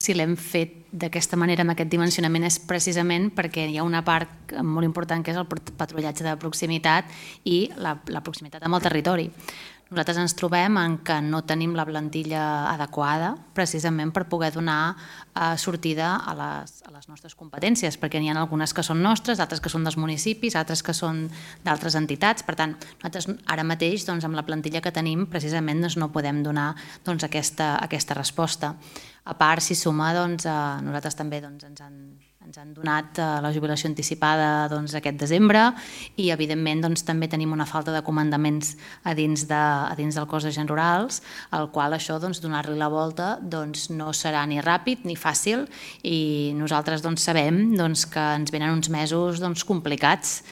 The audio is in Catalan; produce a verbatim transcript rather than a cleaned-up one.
Si l'hem fet d'aquesta manera, amb aquest dimensionament, és precisament perquè hi ha una part molt important que és el patrullatge de proximitat i la, la proximitat amb el territori. Nosaltres ens trobem en que no tenim la plantilla adequada precisament per poder donar eh, sortida a les, a les nostres competències, perquè n'hi ha algunes que són nostres, altres que són dels municipis, altres que són d'altres entitats. Per tant, nosaltres ara mateix, doncs, amb la plantilla que tenim, precisament doncs, no podem donar doncs, aquesta, aquesta resposta. A part, si suma, doncs, eh, nosaltres també doncs, ens han ens han donat la jubilació anticipada doncs, aquest desembre i, evidentment, doncs, també tenim una falta de comandaments a dins, de, a dins del cos d'agents rurals, al qual això, doncs, donar-li la volta doncs, no serà ni ràpid ni fàcil i nosaltres doncs, sabem doncs, que ens venen uns mesos doncs, complicats.